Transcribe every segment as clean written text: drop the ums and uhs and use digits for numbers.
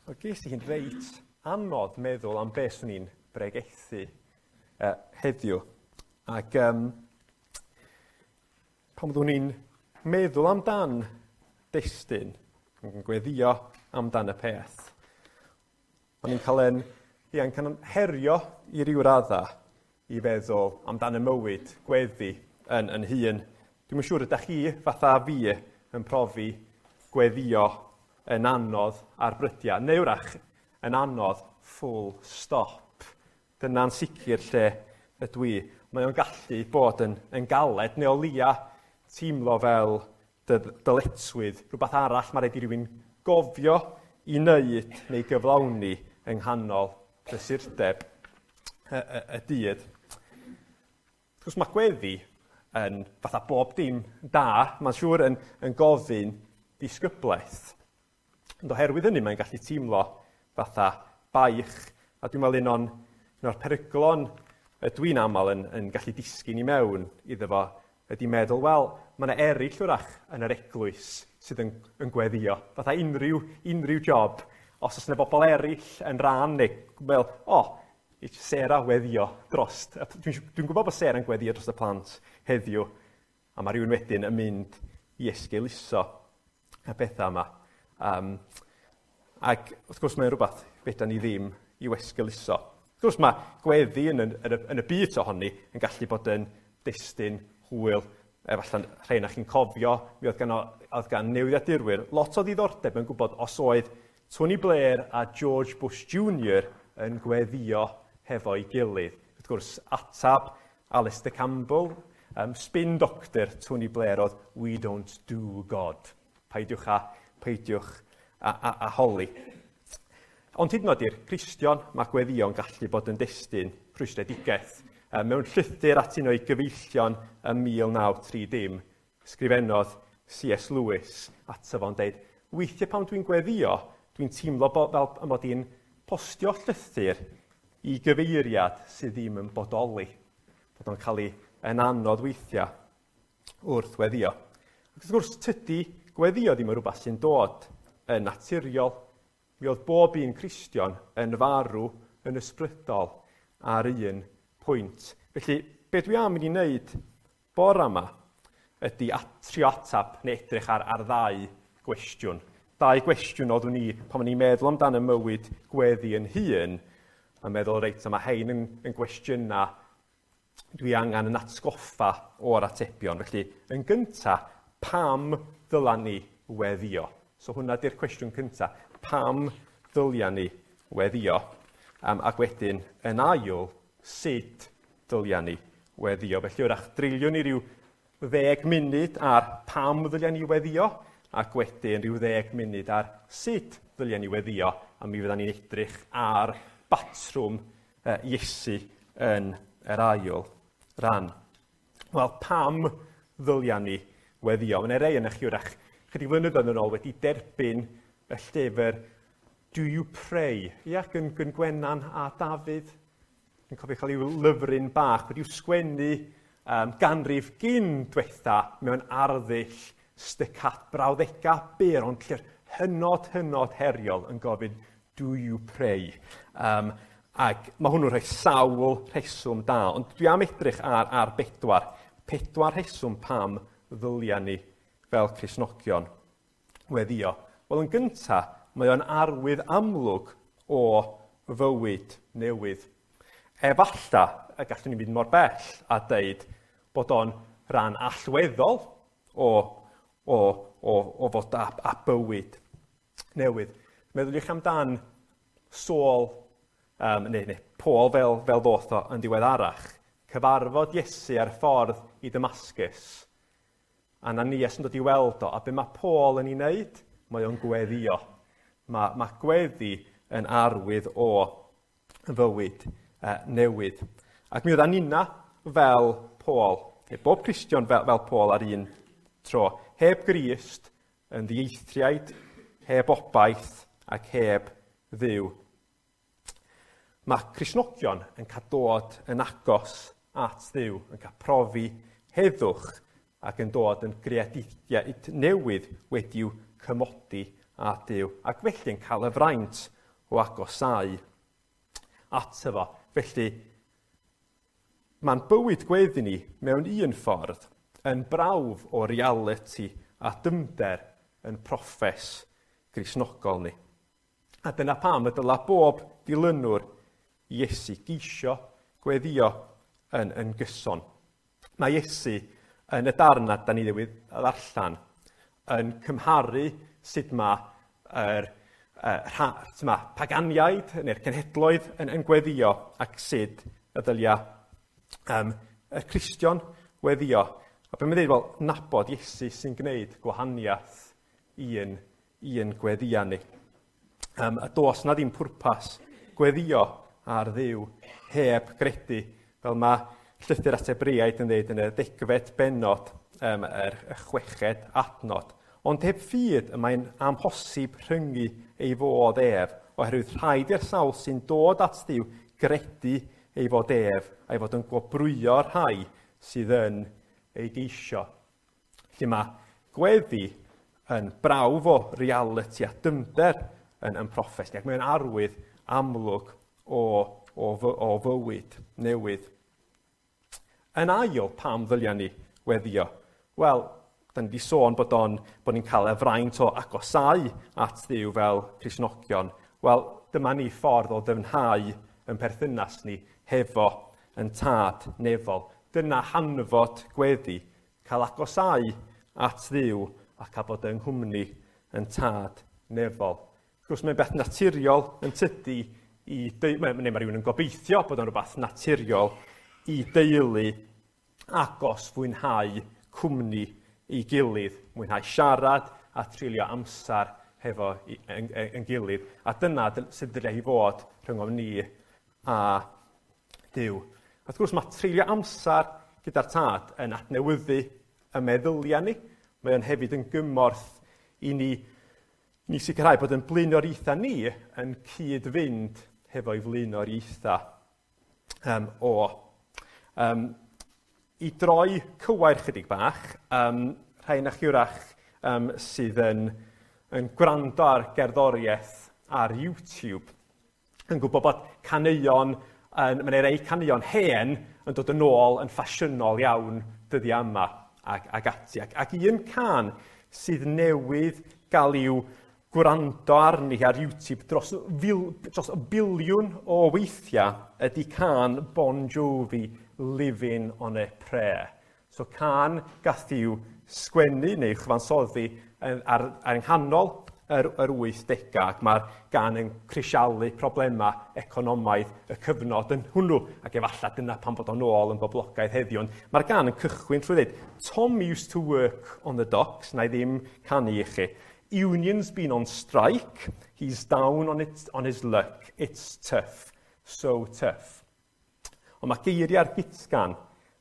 Wel, ges i hi'n reit anodd meddwl am beth swn i'n bregethu heddiw. Ac pan fyddwn i'n meddwl amdan destun, yn gweddio amdan y peth, o'n i'n cael yn, ia, yn cael yn herio i ryw radda i feddwl amdan y mywyd gweddi yn hun. Dwi'm yn siŵr ydych chi, fatha fi, yn profi gweddio yn anodd ar brydiau, neu wrach yn anodd full stop. Dyna'n sicr lle ydw i. Mae o'n gallu bod yn galed, neu o leia teimlo fel dyletswydd, rhywbeth arall mae rhaid i rywun gofio i wneud neu gyflawni yng nghanol prysurdeb y dydd. Wrth gwrs mae gweddi yn fatha bob dim da, mae'n siŵr yn gofyn disgyblaeth. Ond oherwydd hynny mae'n gallu teimlo fatha baich, a dwi'n meddwl un o'r peryglon ydw i'n aml yn gallu disgyn i mewn iddo fo ydy meddwl, wel, mae yna eraill wrach yn yr eglwys sydd yn gweddio. Fatha unrhyw job, os oes yna bobl eraill yn rhan neu fel, o, oh, Sarah weddio dros, dwi'n gwybod bod Sarah yn gweddio dros y plant heddiw, a mae rhywun wedyn yn mynd i esgeuluso y pethau yma. Ac wrth gwrs mae'n rhywbeth fedra ni ddim i'w esgeuluso. Wrth gwrs mae gweddi yn y byd ohoni yn gallu bod yn destun hwyl. Efallai rhai na chi'n cofio, mi oedd gan newyddiadurwyr lot o ddiddordeb yn gwybod os oedd Tony Blair a George Bush Jr yn gweddio hefo'i gilydd. Wrth gwrs, atab Alistair Campbell, spin doctor Tony Blair oedd, We don't do God. Peidiwch a holi. Ond hyd yn oed i'r Cristion, mae gweddïo'n gallu bod yn destun rhwystredigaeth. Mewn llythyr at un o'i gyfeillion ym 1930, sgrifennodd C.S. Lewis ato fo'n deud, weithiau pan dwi'n gweddio, dwi'n teimlo fel y mod i'n postio llythyr i gyfeiriad sydd ddim yn bodoli. Bod o'n cael ei yn anodd weithiau wrth weddio. Ac wrth gwrs, tydi gweddio ddim yn rhywbeth sy'n dod yn naturiol. Mi oedd bob un Cristion yn farw yn ysbrydol ar un pwynt. Felly, be dwi am i ni wneud bore yma ydy trio atab neu edrych ar ddau gwestiwn. Dau gwestiwn oeddwn i pan o'n i'n meddwl amdan y mywyd gweddi yn hun, a meddwl, reit, mae hein yn gwestiynau dwi angen yn atgoffa o'r atebion. Felly, yn gynta, pam ddyla ni weddio? So hwnna di'r cwestiwn cynta. Pam ddylia ni weddio? Ac wedyn, yn ail, sut dylia ni weddio? Felly, wrach, dreulio ni ryw 10 munud ar pam ddylia ni weddio, ac wedyn ryw 10 munud ar sut ddylia ni weddio, a mi fyddan ni'n edrych ar batrwm Iesu yn yr ail ran. Wel, pam ddylia ni weddio? Mae yna rei yna chi wrach chydig flynyddoedd yn ôl wedi derbyn y llyfr Do You Pray? Ia, gyn Gwenan a Dafydd. Dwi'n cofio cael i'w lyfryn bach wedi'w sgwennu ganrif gyn diwetha mewn arddull stycat brawddega byr, ond llyfr hynod heriol yn gofyn Do you pray? Ac mae hwnnw'n rhoi sawl rheswm da, ond dwi am edrych ar bedwar. Pedwar rheswm pam ddylia ni fel Cristnogion weddio. Wel, yn gynta, mae o'n arwydd amlwg o fywyd newydd. Efalla y gallwn ni fynd mor bell a deud bod o'n rhan allweddol o fod a bywyd newydd. Meddyliwch amdan Saul, neu Paul fel ddoth o yn ddiweddarach, cyfarfod Iesu ar ffordd i Damascus. Ananias yn dod i weld o, a be mae Paul yn ei wneud? Mae o'n gweddio. Mae gweddi yn arwydd o fywyd newydd. Ac mi oedd Anina fel Paul, neu bob Cristion fel Paul ar un tro, heb Grist, yn ddieithriaid, heb obaith ac heb Dduw. Mae Cristnogion yn cael dod yn agos at Dduw, yn cael profi heddwch ac yn dod yn greadigaeth newydd wedi'w cymodi â Duw, ac felly yn cael y fraint o agosáu ato fo. Felly, mae'n bywyd gweddi ni mewn un ffordd yn brawf o realiti a dyfnder yn proffes Gristnogol ni. A dyna pam y dyla bob dilynwr Iesu geisio gweddio yn gyson. Mae Iesu yn y darn na da ni newydd ddarllen yn cymharu sut mae yr paganiaid neu'r cenhedloedd yn gweddio ac sut y dylia y Cristion weddio. A be mae'n dweud, wel, nabod Iesu sy'n gwneud gwahaniaeth i'n gweddia ni. A does na ddim pwrpas gweddio ar Dduw heb gredu, fel mae llythyr at Hebreaid yn dweud yn y 10fed bennod, yr 6fed adnod. Ond heb ffydd y mae'n amhosib rhyngu ei fod ef, oherwydd rhaid i'r sawl sy'n dod at Dduw gredu ei fod ef, a'i fod yn gwobrwyo'r rhai sydd yn ei geisio. Felly mae gweddi yn brawf o realiti a dyfnder yn proffes ni, ac mae'n arwydd amlwg o fywyd newydd. Yn ail, pam ddylia ni weddio? Wel, da ni wedi sôn bod ni'n cael y fraint o agosáu at Dduw fel Cristnogion. Wel, dyma ni ffordd o ddyfnhau yn perthynas ni hefo yn tad nefol. Dyna hanfod gweddi, cael agosáu at Dduw a cael bod yng nghwmni yn tad nefol. Wrth gwrs, mae'n beth naturiol yn tydi neu mae rhywun yn gobeithio bod o'n rhywbeth naturiol i deulu agos fwynhau cwmni ei gilydd, mwynhau siarad a treulio amser hefo yn gilydd. A dyna sydd dylai hi fod rhyngom ni a Duw. Wrth gwrs, mae treulio amser gyda'r tad yn adnewyddu y meddyliau ni. Mae o'n hefyd yn gymorth i ni sicrhau bod yn blaenoriaethau ni yn cyd-fynd hefo'i flaenoriaethau o. I droi cywair chydig bach, rhai na chi wrach sydd yn gwrando ar gerddoriaeth ar YouTube yn gwybod bod caneuon, mae'n rhai caneuon hen yn dod yn ôl yn ffasiynol iawn dyddiau yma ac ati. Ac un can sydd newydd gael i'w gwrando arni ar YouTube dros biliwn o weithiau ydy can Bon Jovi, Living on a Prayer. So can gath i'w sgwennu neu chyfansoddi ar nghanol yr 80au, ac mae'r gan yn crisialu problemau economaidd y cyfnod yn hwnnw, ac efallai dyna pan bod o'n ôl yn boblogaidd heddiw. Ond mae'r gan yn cychwyn trwy ddweud, Tom used to work on the docks, na i ddim canu i chi. Union's been on strike, he's down on his luck, it's tough, so tough. Ond mae geiriau'r gitgan,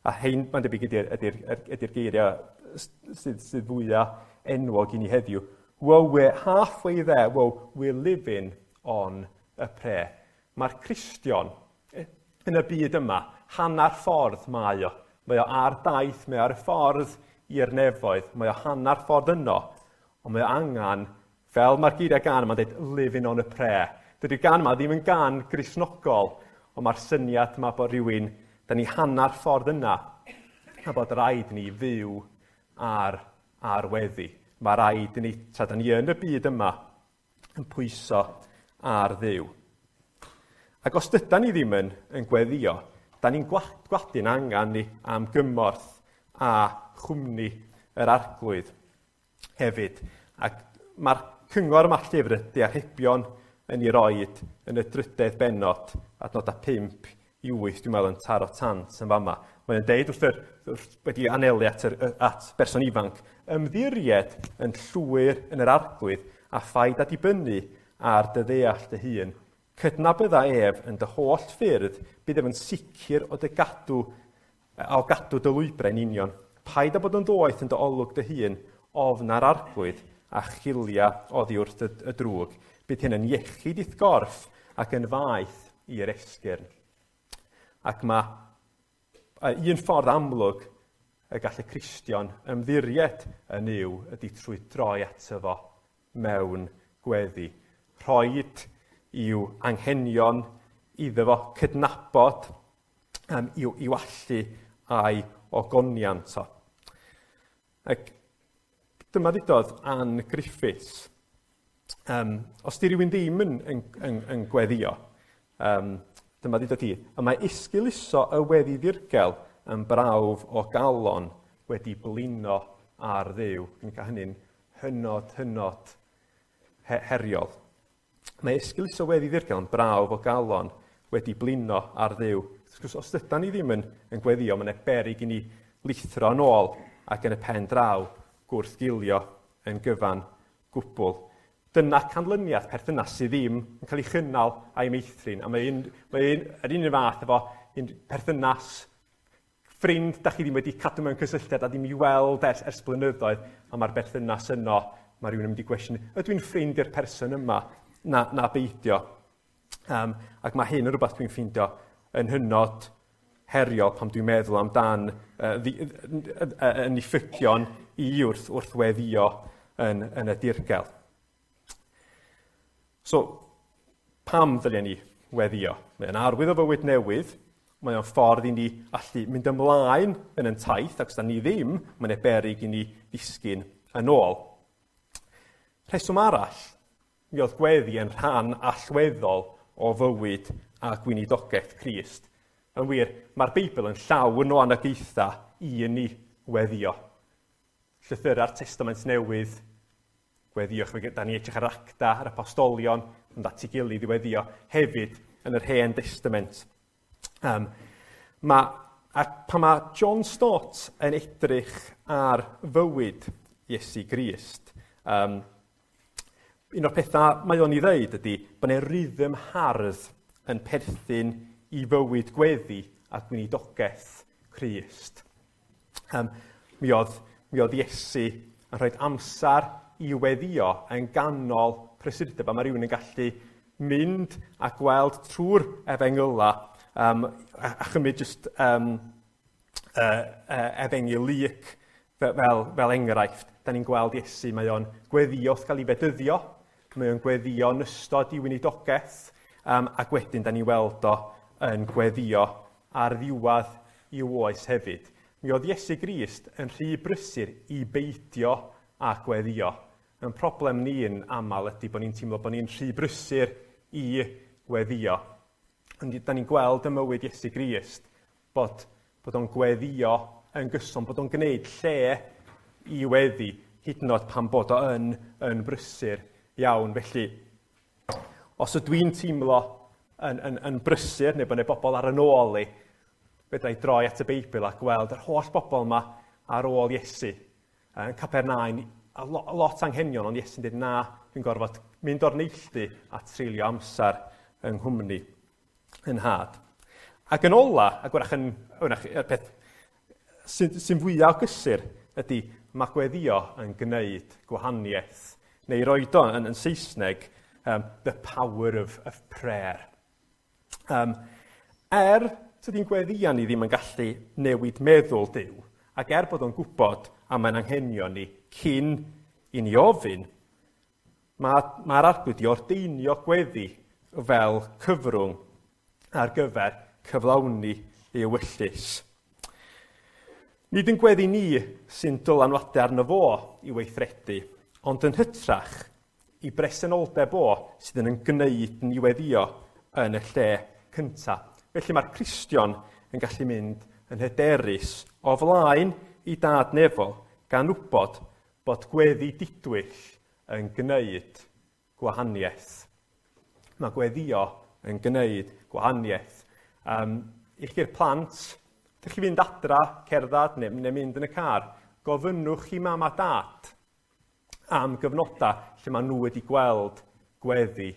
a hein, mae'n debyg ydy'r geiriau sydd fwyaf enwog i ni heddiw. Well, we're halfway there. Well, we're living on a prayer. Mae'r Cristion yn y byd yma, hanner ffordd mae o. Mae o ar daith, mae o ar y ffordd i'r nefoedd, mae o hanner ffordd yno, ond mae o angen, fel mae'r geiriau gan yma'n dweud, living on a prayer. Dydy'r gan yma ddim yn gan Gristnogol, ond mae'r syniad yma bod rhywun, da ni hanner ffordd yna, a bod rhaid ni fyw ar weddi. Mae rhaid i ni, tra da ni yn y byd yma, yn pwyso ar Dduw. Ac os dydan ni ddim yn gweddio, da ni'n gwadu'n angen ni am gymorth a chwmni yr Arglwydd hefyd. Ac mae'r cyngor yma llyfr y Diarhebion yn ei roed yn y drydedd bennod, adnodau 5 i 8, dwi'n meddwl, yn taro tant yn fama. Mae'n deud wrth wedi anelu at berson ifanc, ymddiried yn llwyr yn yr Arglwydd a phaid â dibynnu ar dy ddeall dy hun. Cydnabydda ef yn dy holl ffyrdd, bydd ef yn sicr o gadw dy lwybrau'n union. Paid â bod yn ddoeth yn dy olwg dy hun, ofn ar Arglwydd a chilia oddi wrth y drwg. Bydd hyn yn iechyd i'th gorff ac yn faeth i'r esgyrn. Ac mae un ffordd amlwg y gall y Cristion ymddiried yn Nuw ydy trwy droi ato fo mewn gweddi. Rhoid i'w anghenion, iddo fo cydnabod i'w allu a'i ogoniant o. Ac dyma ddudodd Ann Griffiths. Os di rhywun ddim yn gweddio, dyma ddudodd hi, y mae esgeuluso y weddi ddirgel yn brawf o galon wedi blino ar Dduw. Dwi'n cael hynny'n hynod, hynod heriol. Mae esgeuluso weddi ddirgel yn brawf o galon wedi blino ar Dduw. Wrth gwrs, os ydan ni ddim yn gweddio, mae'n beryg i ni lithro yn ôl ac yn y pen draw gwrthgilio yn gyfan gwbl. Dyna canlyniad perthynas sydd ddim yn cael ei chynnal a'i meithrin. A mae yr un fath efo un perthynas ffrind da chi ddim wedi cadw mewn cysylltiad a ddim i weld ers blynyddoedd, a mae'r berthynas yno, mae rhywun yn mynd i gwestiwn, ydw i'n ffrind i'r person yma? Na beidio. Ac mae hyn yn rhywbeth dwi'n ffeindio yn hynod heriol pan dwi'n meddwl amdan yn diffygion i wrth weddio yn y dirgel. So, pam ddylen ni weddio? Mae'n arwydd o fywyd newydd, mae o'n ffordd i ni allu mynd ymlaen yn ein taith, ac os da ni ddim, mae'n beryg i ni ddisgyn yn ôl. Rheswm arall, mi oedd gweddi yn rhan allweddol o fywyd a gweinidogaeth Crist. Yn wir, mae'r Beibl yn llawn o anogaethau i ni weddio. Llythyra'r Testament Newydd, gweddiwch, da ni edrych ar Acta, ar Apostolion, yn at ei gilydd i weddio, hefyd yn yr Hen Testament. A pan mae John Stott yn edrych ar fywyd Iesu Grist, un o'r pethau mae o'n ei ddeud ydy bod yna rhythm hardd yn perthyn i fywyd gweddi a gweinidogaeth Crist. Mi oedd Iesu yn rhoi amser i weddio yn ganol prysurdeb, a mae rhywun yn gallu mynd a gweld trwy'r efengyla a chymryd just efengyl Luc fel enghraifft. Da ni'n gweld Iesu, mae o'n gweddio wrth gael ei fedyddio, mae o'n gweddio yn ystod ei weinidogaeth, ac wedyn da ni'n weld o yn gweddio ar ddiwedd i'w oes hefyd. Mi oedd Iesu Grist yn rhy brysur i beidio a gweddio. Yn problem ni'n aml ydy bod ni'n teimlo bod ni'n rhy brysur i weddio. Ond da ni'n gweld ym mywyd Iesu Grist bod o'n gweddio yn gyson, bod o'n gwneud lle i weddi, hyd yn oed pan bod o yn brysur iawn. Felly, os ydw i'n teimlo yn brysur, neu bod yna bobl ar yn ôl i, fedra i droi at y Beibl a gweld yr holl bobl yma ar ôl Iesu. Yn Capernaum, a lot anghenion, ond Iesu'n dweud, na, dwi'n gorfod mynd o'r neilltu a treulio amser yng nghwmni yn nhad. Ac yn ola, ac wrach yn y peth sy'n fwyaf o gysur ydy mae gweddio yn gwneud gwahaniaeth, neu roed o yn Saesneg, the power of prayer. Tydi'n gweddio ni ddim yn gallu newid meddwl Duw, ac er bod o'n gwybod am ein anghenion ni cyn i ni ofyn, mae'r Arglwydd i ordeinio gweddi fel cyfrwng ar gyfer cyflawni ei ewyllys. Nid yn gweddi ni sy'n dylanwadu arno fo i weithredu, ond yn hytrach i bresenoldeb o sydd yn gwneud ni weddio yn y lle cyntaf. Felly mae'r Cristion yn gallu mynd yn hyderus o flaen i dad nefol gan wybod bod gweddi didwyll yn gwneud gwahaniaeth. Mae gweddio yn gwneud gwahaniaeth. I chi'r plant, ydych chi fynd adra, cerdded neu mynd yn y car, gofynnwch i mam a dad am gyfnodau lle maen nhw wedi gweld gweddi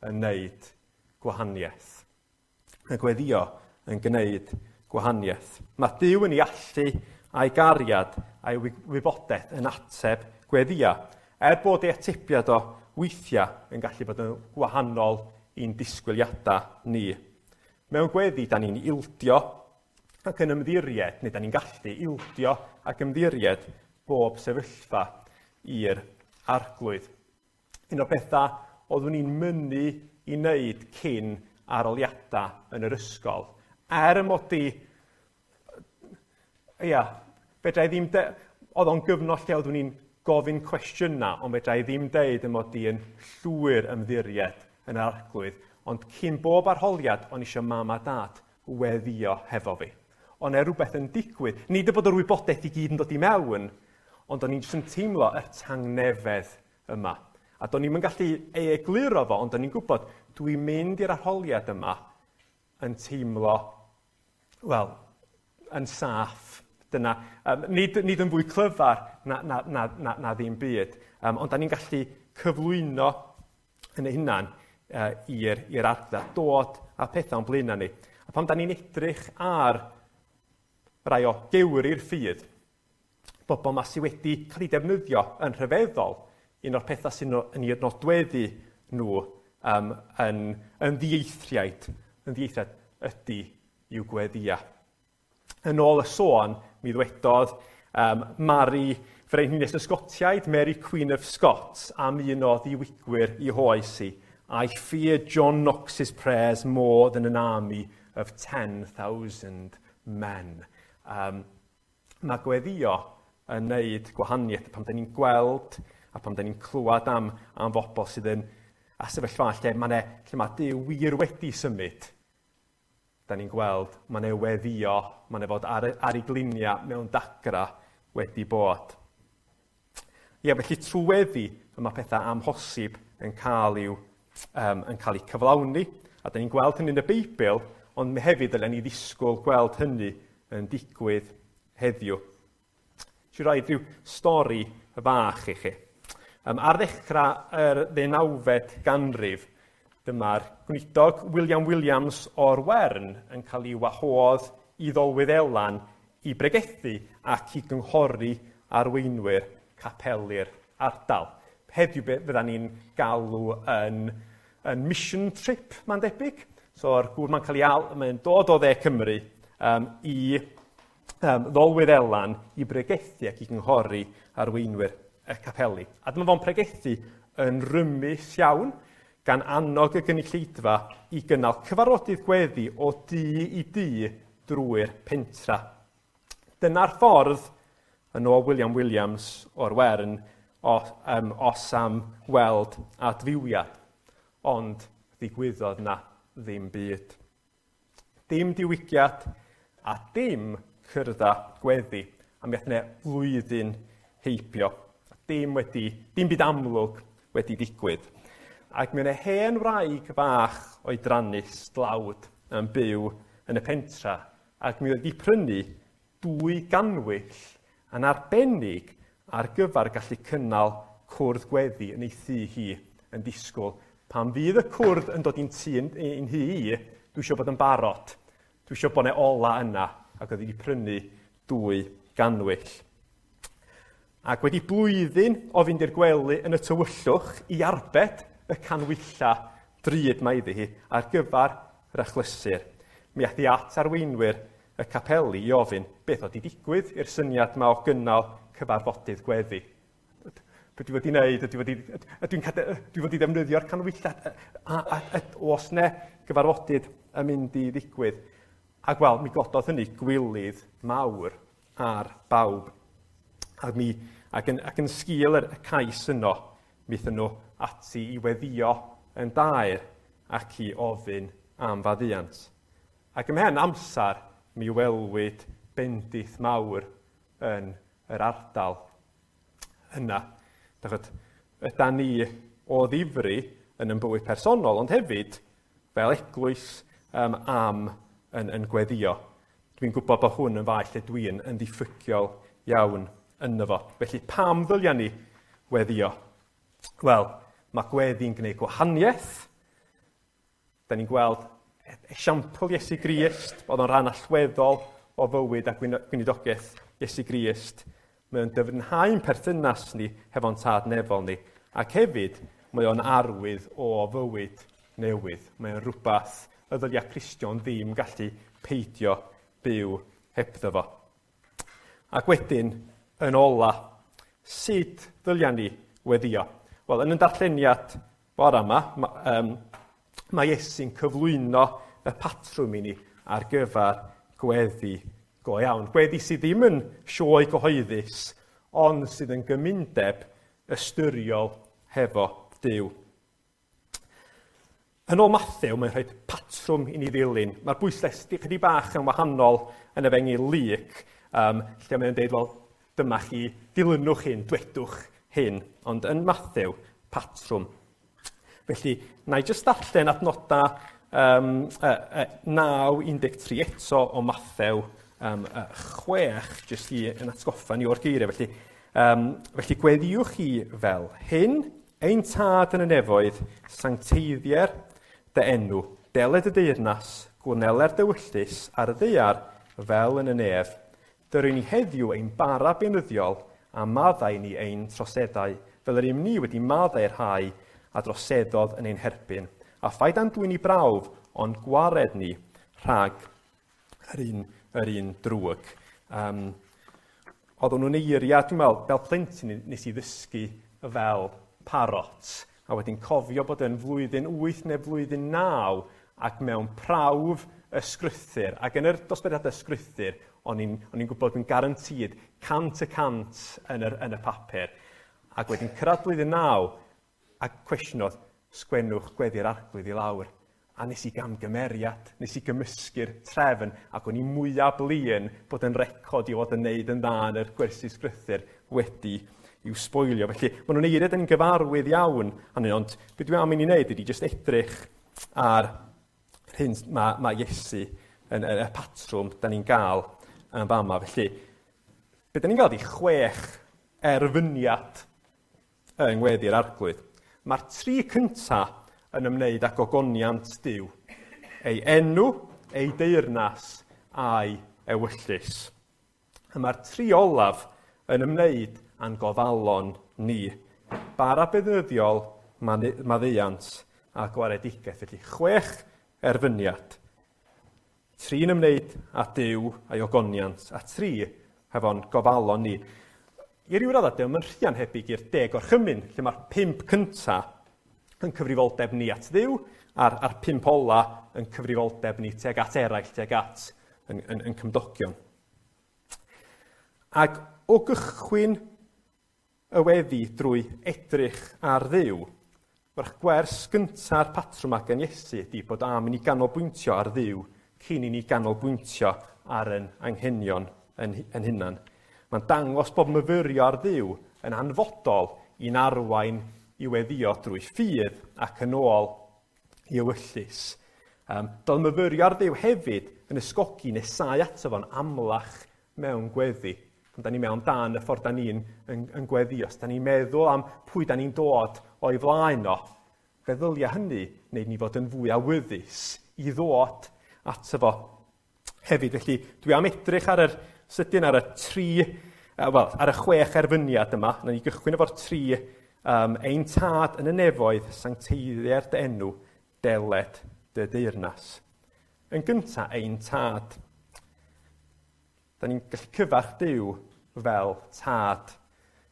yn gwneud gwahaniaeth. Mae gweddio yn gwneud gwahaniaeth. Mae Duw yn ei allu a'i gariad a'i wybodaeth yn ateb gweddia. Er bod ei atebiad o weithiau yn gallu bod yn wahanol i'n disgwyliadau ni. Mewn gweddi, da ni'n ildio ac yn ymddiried, neu da ni'n gallu ildio ac ymddiried bob sefyllfa i'r Arglwydd. Un o'r pethau oeddwn i'n mynnu i wneud cyn aroliadau yn yr ysgol. Er y mod i, ia, fedra i ddim, oedd o'n gyfnod lle oeddwn i'n gofyn cwestiynau, ond fedra i ddim deud y mod i yn llwyr ymddiried yn yr Arglwydd. Ond cyn bob arholiad, o'n eisiau mam a dad weddio hefo fi. Ond e rhywbeth yn digwydd. Nid y bod yr wybodaeth i gyd yn dod i mewn, ond o'n i'n jyst yn teimlo yr tangnefedd yma. A do'n i'm yn gallu ei egluro fo, ond o'n i'n gwybod, dwi'n mynd i'r arholiad yma yn teimlo, wel, yn saff. Dyna, nid yn fwy clyfar na ddim byd, ond da ni'n gallu cyflwyno yn ei hunan i'r ardal, dod â pethau o'n blaenau ni. A pan da ni'n edrych ar rai o gewri'r ffydd, bobl yma sydd wedi cael eu defnyddio yn rhyfeddol, un o'r pethau sy'n yn eu nodweddu nhw yn ddieithriaid ydy i'w gweddia. Yn ôl y sôn, mi ddwedodd Mary Frenhines y Sgotiaid, Mary Queen of Scots, am un o ddiwygwyr i hoes i. I fear John Knox's prayers more than an army of 10,000 men. Mae gweddio yn neud gwahaniaeth pan da ni'n gweld a pan da ni'n clywed am bobl sydd yn a sefyllfa lle mae Duw wir wedi symud. Da ni'n gweld, mae 'na weddio, mae 'na fod ar ei gliniau mewn dagra wedi bod. Ie, felly trwy weddi, mae pethau amhosib yn cael eu cyflawni. A da ni'n gweld hynny yn y Beibl, ond hefyd dylen ni ddisgwyl gweld hynny yn digwydd heddiw. Nes i roi rhyw stori fach i chi. Ar ddechrau yr 19fed ganrif, dyma'r gweinidog William Williams o'r Wern yn cael ei wahodd i Ddolwyddelan i bregethu ac i gynghori arweinwyr capeli'r ardal. Heddiw fydda ni'n galw yn mission trip, mae'n debyg. So'r gŵr mae'n cael ei mae'n dod o dde Cymru i Ddolwyddelan i bregethu ac i gynghori arweinwyr y capeli. A dyma fo'n pregethu yn rymus iawn, gan annog y gynulleidfa i gynnal cyfarfodydd gweddi o dŷ i dŷ drwy'r pentra. Dyna'r ffordd, yn ôl William Williams o'r Wern, os am weld adfywiad. Ond ddigwyddodd na ddim byd. Dim diwygiad a dim cyrda gweddi. A mi aeth 'na flwyddyn heibio. Dim byd amlwg wedi digwydd. Ac mi oedd 'na hen wraig fach oedrannus dlawd yn byw yn y pentra, ac mi oedd wedi prynu 2 ganwyll yn arbennig ar gyfer gallu cynnal cwrdd gweddi yn ei thŷ hi yn disgwyl. Pan fydd y cwrdd yn dod i'n tŷ i'n nhŷ i, dwi eisiau bod yn barod. Dwi eisiau bod 'na ola yna, ac oedd wedi prynu 2 ganwyll. Ac wedi blwyddyn o fynd i'r gwely yn y tywyllwch i arbed y canwylla drud mae iddi hi ar gyfer yr achlysur, mi aeth hi at arweinwyr y capeli i ofyn beth oedd wedi digwydd i'r syniad yma o gynnal cyfarfodydd gweddi. Be dwi wedi wneud? Dwi wedi ddefnyddio'r canwylla a oes 'na gyfarfodydd yn mynd i ddigwydd? Ac wel, mi gododd hynny gwilydd mawr ar bawb. Ac yn sgil y cais yno, mi aethon nhw ati i weddio yn daer ac i ofyn am faddeuant. Ac ymhen amser, mi welwyd bendith mawr yn yr ardal yna. Ydan ni o ddifri yn ein bywyd personol, ond hefyd fel eglwys am yn gweddio. Dwi'n gwybod bod hwn yn faes lle dwi'n yn ddiffygiol iawn ynddo fo. Felly pam ddylia ni weddio? Wel, mae gweddi'n gwneud gwahaniaeth. Da ni'n gweld esiampl Iesu Grist, oedd o'n rhan allweddol o fywyd a gweinidogaeth Iesu Grist. Mae o'n dyfnhau'n perthynas ni hefo'n tad nefol ni. Ac hefyd, mae o'n arwydd o fywyd newydd. Mae o'n rhywbeth y ddylia Cristion ddim gallu peidio byw hebddo fo. Ac wedyn, yn ola, sut ddylia ni weddio? Wel, yn y darlleniad bore yma, Mae Iesu'n cyflwyno y patrwm i ni ar gyfer gweddi go iawn. Gweddi sydd ddim yn sioe gyhoeddus, ond sydd yn gymundeb ystyriol hefo Duw. Yn ôl Mathew, mae'n rhoi patrwm i ni ddilyn. Mae'r bwyslais chydig bach yn wahanol yn Efengyl Luc, lle mae'n dweud, wel, dyma chi, dilynwch hyn, dwedwch hyn. Ond yn Mathew, patrwm. Felly, na i jyst darllen adnodau 9.13 eto o Mathew 6, jyst i yn atgoffa ni o'r geiriau. Felly, felly gweddiwch chi fel hyn: Ein Tad yn y nefoedd, sancteiddier dy enw, deled y deyrnas, gwneler dy ewyllys ar y ddaear fel yn y nef. Dyry ni heddiw ein bara beunyddiol, a maddau ni ein troseddau, fel yr ym ni wedi maddau'r rhai a droseddodd yn ein herbyn. A phaid â'n dwyn i brawf, ond gwared ni rhag yr un drwg. Oedden nhw'n eiriau, dwi'n meddwl, fel plentyn nes i ddysgu fel parot. A wedyn cofio bod yn flwyddyn 8 neu flwyddyn 9 ac mewn prawf ysgrythyr. Ac yn yr dosbarthiadau ysgrythyr, o'n i'n gwybod yn guaranteed 100% yn y papur. Ac wedyn cyrraedd blwyddyn 9, a cwestiwn oedd, "Sgwennwch gweddi'r Arglwydd i lawr." A nes i gamgymeriad, nes i gymysgu'r trefn, ac o'n i mwyaf blin bod yn record i fod yn neud yn dda yn yr gwersi sgrythyr wedi i'w sboilio. Felly, maen nhw'n eiriau ni'n gyfarwydd iawn, ond beth dwi am i ni wneud ydy jyst edrych ar hyn mae Iesu yn y patrwm da ni'n gael yn fama. Felly, beth da ni'n gael ydy chwech erfyniad yng ngweddi'r Arglwydd. Mae'r tri cyntaf yn ymwneud â gogoniant Duw. Ei enw, ei deyrnas a'i ewyllys. A mae'r tri olaf yn ymwneud â'n gofalon ni. Bara beunyddiol, maddeuant a gwaredigaeth. Felly chwech erfyniad. Tri'n ymwneud â Duw a'i ogoniant, a tri hefo'n gofalon ni. I ryw raddau, dio'm yn rhy anhebyg i'r Deg Orchymyn, lle mae'r pump cyntaf yn cyfrifoldeb ni at Dduw, a'r pump ola yn cyfrifoldeb ni tuag at eraill, tuag at yn cymdogion. Ac o gychwyn y weddi drwy edrych ar Dduw, mae'r gwers gynta'r patrwm ag yn Iesu ydy bod am i ni ganolbwyntio ar Dduw cyn i ni ganolbwyntio ar yn anghenion yn hunan. Mae'n dangos bod myfyrio ar Dduw yn hanfodol i'n arwain i weddio drwy ffydd ac yn ôl i ewyllys. Doedd myfyrio ar Dduw hefyd yn ysgogi nesáu ato fo'n amlach mewn gweddi. Pan da ni mewn dan y ffordd da ni'n yn gweddi, os da ni'n meddwl am pwy da ni'n dod o'i flaen o, fe ddylia hynny wneud ni fod yn fwy awyddus i ddod ato fo hefyd. Felly dwi am edrych ar yr sydyn ar y tri, wel, ar y chwech erfyniad yma. Na ni gychwyn efo'r tri, "Ein Tad yn y nefoedd, sancteiddier dy enw, deled dy deyrnas." Yn gyntaf, ein Tad. Da ni'n gallu cyfarch Duw fel tad.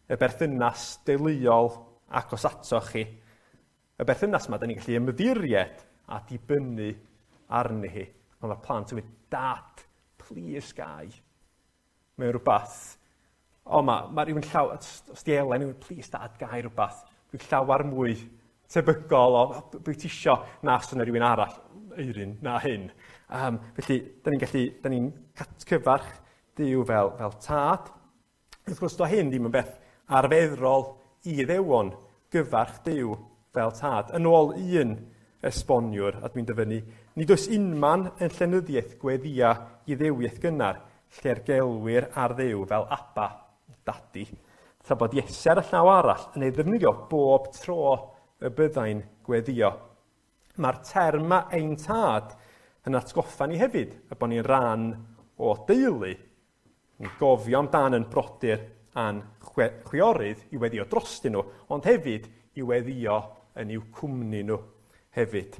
Y berthynas deuluol agos ato chi. Y berthynas yma, da ni'n gallu ymddiried a dibynnu arni hi. Ond mae'r plant yn mynd, "Dad, please gai." Mae'n rhywbeth, o, mae rhywun llaw, os di Elen, "Please, Dad, gai rhywbeth." Dwi'n llawer mwy tebygol o, "Bwy ti isio?" na os yna rhywun arall, Eirin, na hyn. Felly, da ni'n gallu, da ni'n cyfarch Duw fel tad. Wrth gwrs, do hyn ddim yn beth arferol i Iddewon gyfarch Duw fel tad. Yn ôl un esboniwr, a dwi'n dyfynnu, "Nid oes unman yn llenyddiaeth gweddia Iddewiaeth gynnar lle'r gelwir ar Dduw fel Abba, Dadi, tra bod Iesu ar y llaw arall yn ei ddefnyddio bob tro y byddai'n gweddio. Mae'r term 'ma, ein Tad, yn atgoffa ni hefyd y bod ni'n rhan o deulu. Ni'n gofio amdan yn brodyr a'n chwiorydd i weddio drostyn nhw, ond hefyd i weddio yn i'w cwmni nhw hefyd.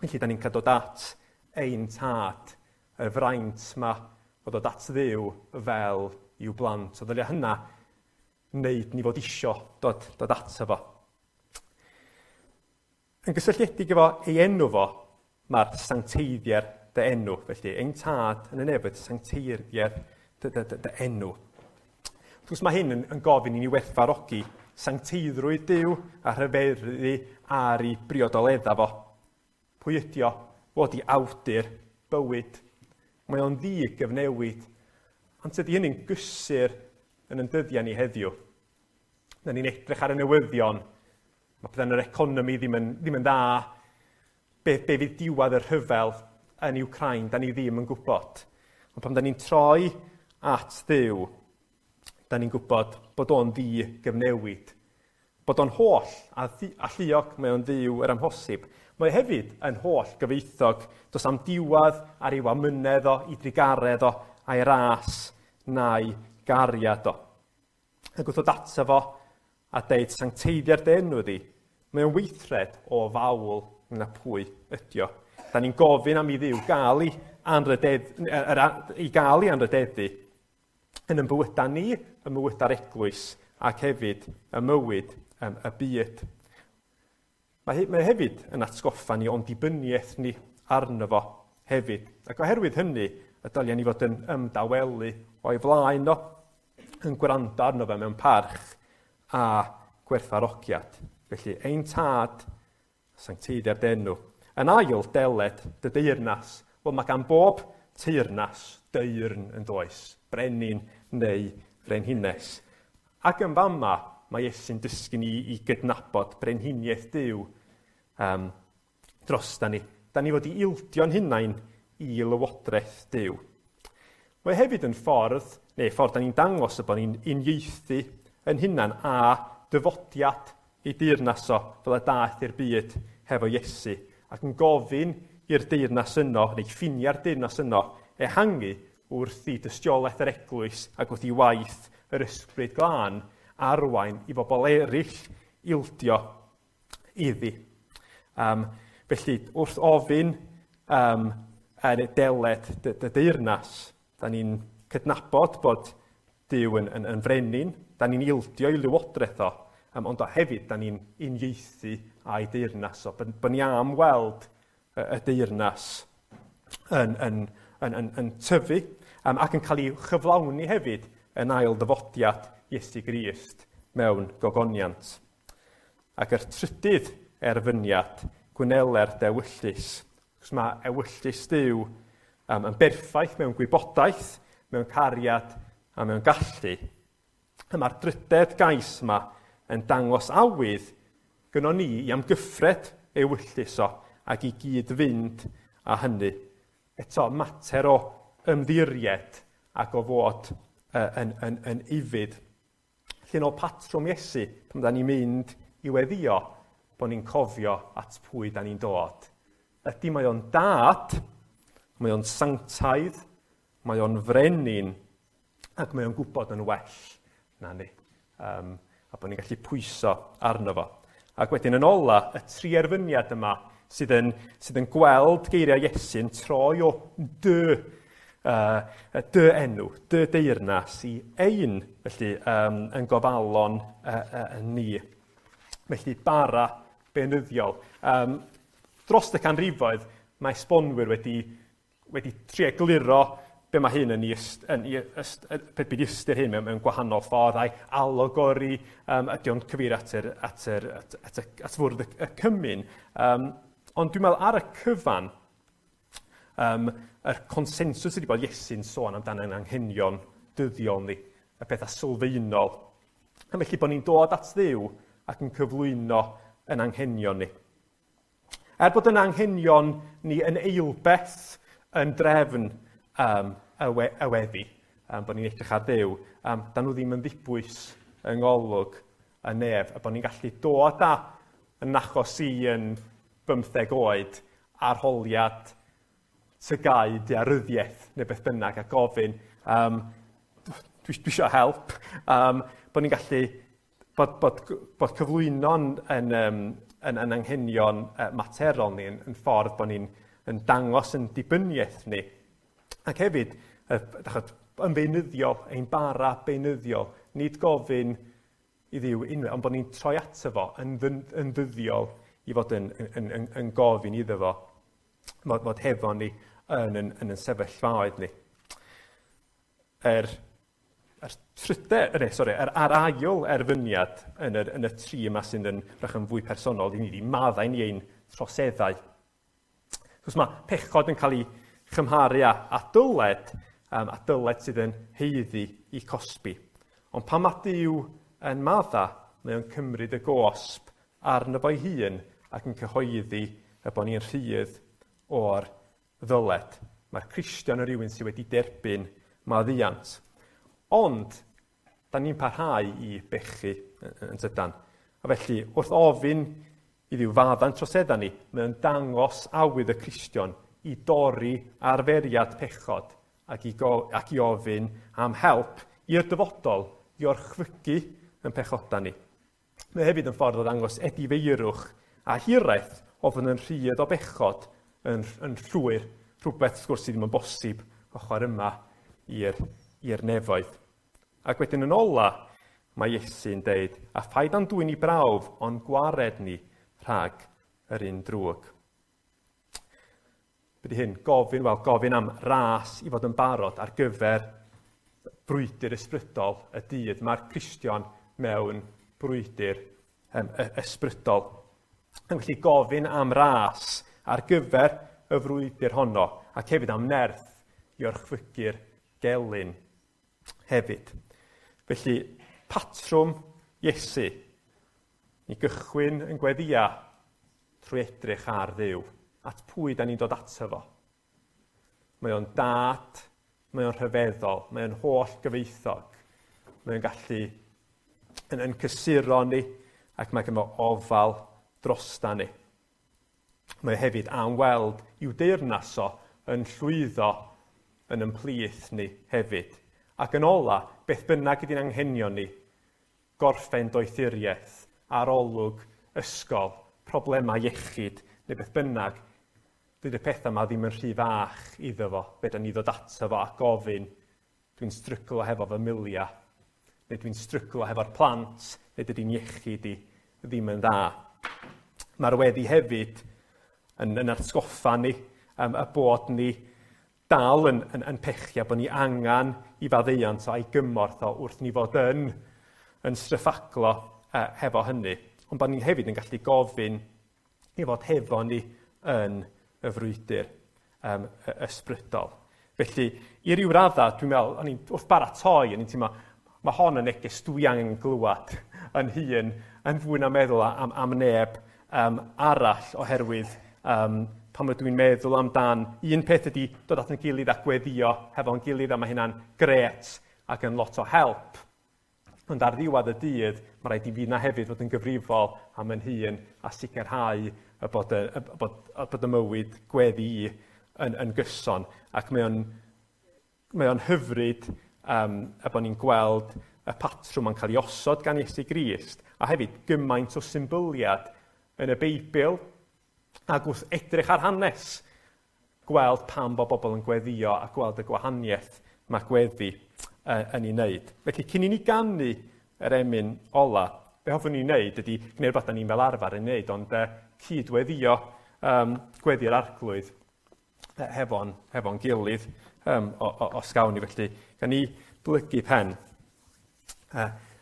Felly, da ni'n cael dod at ein Tad, y fraint ma o ddod at Dduw fel i'w blant. O ddylia hynna wneud ni fod isio dod ato fo. Yn gysylltiedig efo ei enw fo, mae'r sancteiddier dy enw. Felly, ein tad yn y nefoedd, sancteiddier dy enw. Wrth gwrs mae hyn yn gofyn i ni werthfawrogi sancteiddrwydd Duw a rhyfeddu ar ei briodoledda fo. Pwy ydi o? Fo 'di awdur bywyd. Mae o'n ddi-gyfnewid. Ond tydi hynny'n gysur yn yn dyddiau ni heddiw. Na ni'n edrych ar y newyddion, mae pethau yn yr economi ddim yn dda. Be fydd diwedd y rhyfel yn Wcráin, da ni ddim yn gwybod. Ond pan da ni'n troi at Dduw, da ni'n gwybod bod o'n ddi-gyfnewid. Bod o'n holl alluog, mae o'n Dduw yr amhosib. Mae hefyd yn holl gyfoethog, does am diwedd ar ei wamynedd o, i drugaredd o, a'i ras na'i gariad o. Ac wrth ddod ato fo a deud sancteiddia'r dy enw di, mae o'n weithred o fawl na pwy ydi o. Da ni'n gofyn am i Dduw gael ei anrhydeddu yn ein bywydau ni, ym mywydau'r eglwys, ac hefyd y mywyd y byd. Mae hefyd yn atgoffa ni o'n dibyniaeth ni arno fo hefyd. Ac oherwydd hynny, y dylia ni fod yn ymdawelu o'i flaen o, yn gwrando arno fe mewn parch a gwerthfawrogiad. Felly, ein tad, sancteiddia'r dy enw. Yn ail, deled dy deyrnas. Wel, mae gan bob teyrnas deyrn yn does, brenin neu frenhines. Ac yn fama, mae Iesu'n dysgu ni i gydnabod brenhiniaeth Duw drosta ni. Da ni fod i ildio'n hunain i lywodraeth Duw. Mae hefyd yn ffordd, neu ffordd da ni'n dangos y bod ni'n uniaethu yn hunan a dyfodiad ei deyrnas o, fel y daeth i'r byd hefo Iesu, ac yn gofyn i'r deyrnas yno, neu ffiniau'r deyrnas yno, ehangu wrth i dystiolaeth yr eglwys ac wrth i waith yr Ysbryd Glân arwain i bobl eraill ildio iddi. Felly, wrth ofyn yn deled dy deyrnas, da ni'n cydnabod bod Duw yn frenin, da ni'n ildio i lywodraeth o, ond o hefyd da ni'n uniaethu â'i deyrnas o. Bod ni am weld y deyrnas yn tyfu ac yn cael ei chyflawni hefyd yn ail ddyfodiad Iesu Grist mewn gogoniant. Ac yr trydydd erfyniad, gwneler dewyllys. Cos mae ewyllys Duw yn berffaith mewn gwybodaeth, mewn cariad a mewn gallu. A mae'r drydedd gais yma yn dangos awydd gynnon ni i amgyffred ewyllys o ac i gyd fynd â hynny. Eto, mater o ymddiried ac o fod yn ufudd. Felly yn ôl patrwm Iesu, pan da ni'n mynd i weddio, bod ni'n cofio at pwy da ni'n dod. Ydy mae o'n dad, mae o'n sanctaidd, mae o'n frenin, ac mae o'n gwybod yn well na ni. A bod ni'n gallu pwyso arno fo. Ac wedyn yn ola, y tri erfyniad yma sydd yn gweld geiriau Iesu'n troi o dy enw, dy deyrnas i ein, felly yn gofalon ni. Felly bara beunyddiol. Dros y canrifoedd, mae esbonwyr wedi trio egluro be mae hyn yn be ystyr hyn mewn gwahanol ffordd, a'i alegori, ydy o'n cyfeirio at fwrdd y cymun. Ond dwi'n meddwl ar y cyfan, yr consensws ydy bod Iesu'n sôn amdano ein anghenion dyddiol ni, y pethau sylfaenol. A felly bod ni'n dod at Dduw ac yn cyflwyno yn anghenion ni. Er bod yn anghenion ni yn eilbeth yn drefn y weddi, bod ni'n edrych ar Dduw, da nhw ddim yn ddibwys yng ngolwg y nef, a bod ni'n gallu dod â yn achos i yn 15 oed arholiad tygau daearyddiaeth neu beth bynnag a gofyn, dwi eisiau help, bod ni'n gallu bod cyflwyno'n yn anghenion materol ni yn ffordd bod ni'n yn dangos yn dibyniaeth ni. Ac hefyd, yn beunyddiol, ein bara beunyddiol, nid gofyn i Dduw unwaith, ond bod ni'n troi ato fo yn ddyddiol i fod yn, yn, yn, yn gofyn iddo fo fod, fod hefo ni yn, yn, yn, yn sefyllfaoedd ni. Er, er tryde, er, sorry, er, ar ail erfyniad yn, yr, yn y tri yma sydd yn rach yn fwy personol, i ni wedi maddau ni ein troseddau. Chos mae pechod yn cael ei chymharu â, a dyled, um, a dyled sydd yn heiddi i cosbi. Ond pan mae Duw yn madda, mae o'n cymryd y gosb arno fo'i hun ac yn cyhoeddi y bod ni'n rhydd o'r ddyled. Mae'r Cristion yn rhywun sydd wedi derbyn maddeuant. Ond, da ni'n parhau i bechu yn tydan. A felly, wrth ofyn i Dduw fadda'n troseddau ni, mae o'n dangos awydd y Cristion i dorri arferiad pechod ac i, go, ac i ofyn am help i'r dyfodol i orchfygu yn pechodau ni. Mae hefyd yn ffordd o ddangos edifeirwch a hiraeth o fod yn rhydd o bechod yn, yn llwyr, rhywbeth wrth gwrs sydd ddim yn bosib ochr yma i'r nefoedd. Ac wedyn yn ola, mae Iesu'n deud, a phaid â'n dwyn i brawf, ond gwared ni rhag yr un drwg. Be di hyn? Gofyn, wel, gofyn am ras i fod yn barod ar gyfer brwydr ysbrydol y dydd. Mae'r Cristion mewn brwydr um, ysbrydol. Yn felly gofyn am ras ar gyfer y frwydr honno ac hefyd am nerth i orchfygu'r gelyn hefyd. Felly, patrwm Iesu. Ni gychwyn yn gweddia trwy edrych ar Dduw. At pwy da ni'n dod ato fo? Mae o'n dad, mae o'n rhyfeddol, mae o'n holl gyfeithog. Mae o'n gallu yn, yn cysuro ni ac mae gynno ofal drosta ni. Mae hefyd am weld i'w deyrnas o yn llwyddo yn ymplith ni hefyd. Ac yn ola, beth bynnag ydy'n anghenion ni, gorffen doethuriaeth, arolwg, ysgol, problemau iechyd, neu beth bynnag, dydy'r pethau yma ddim yn rhy fach iddo fo. Fe da ni ddod ato fo a gofyn, dwi'n stryglo hefo fy milia, neu dwi'n stryglo hefo'r plant, neu dydy'n iechyd i ddim yn dda. Mae'r weddi hefyd yn, yn atgoffa ni um, y bod ni dal yn, yn, yn pechu a bod ni angen i faddeuant a'i gymorth o wrth ni fod yn, yn stryffaglo uh, hefo hynny. Ond bod ni hefyd yn gallu gofyn i fod hefo ni yn y frwydr um, ysbrydol. Felly, i ryw radda, dwi'n meddwl, o'n i'n wrth baratoi, o'n i'n teimlo, mae hon yn neges dwi angen glywed yn hun, yn fwy na meddwl am, am neb um, arall, oherwydd um, pan ydw i'n meddwl amdan, un peth ydy dod at yn gilydd a gweddio hefo'n gilydd, a mae hynna'n gret ac yn lot o help. Ond ar ddiwedd y dydd, mae rhaid i fi na hefyd fod yn gyfrifol am yn hun a sicrhau y bod y, y, bod, y, bod y mywyd gweddi i yn, yn gyson. Ac mae o'n, mae o'n hyfryd um, y bod ni'n gweld y patrwm yn cael ei osod gan Iesu Grist, a hefyd gymaint o symbyliad yn y Beibl, ac wrth edrych ar hanes, gweld pam bod bobl yn gweddio a gweld y gwahaniaeth mae gweddi yn ei wneud. Felly, cyn i ni ganu yr emyn ola, be hoffwn ni wneud ydy gwneud rhywbeth da ni'n fel arfer yn wneud, ond cydweddio um, gweddi'r arglwydd hefo'n hefo gilydd um, o, o, os gawn ni. Felly, gan ni blygu pen.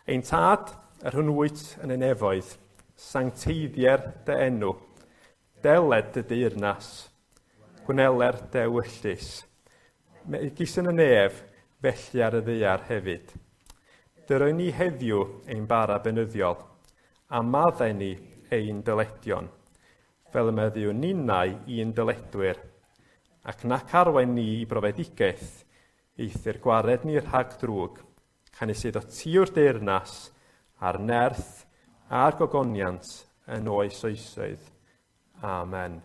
Ein tad, yr hwn wyt yn y nefoedd, sancteiddier dy enw, deled dy deyrnas, gwneler dy ewyllys. Megis yn y nef, felly ar y ddaear hefyd. Dyroi ni heddiw ein bara beunyddiol, a maddau ni ein dyledion, fel y meddiwn ninnau i'n dyledwyr, ac nac arwain ni i brofedigaeth, eithr gwared ni rhag drwg, canys iddo ti yw'r deyrnas, a'r nerth, a'r gogoniant yn oes oesoedd. Amen.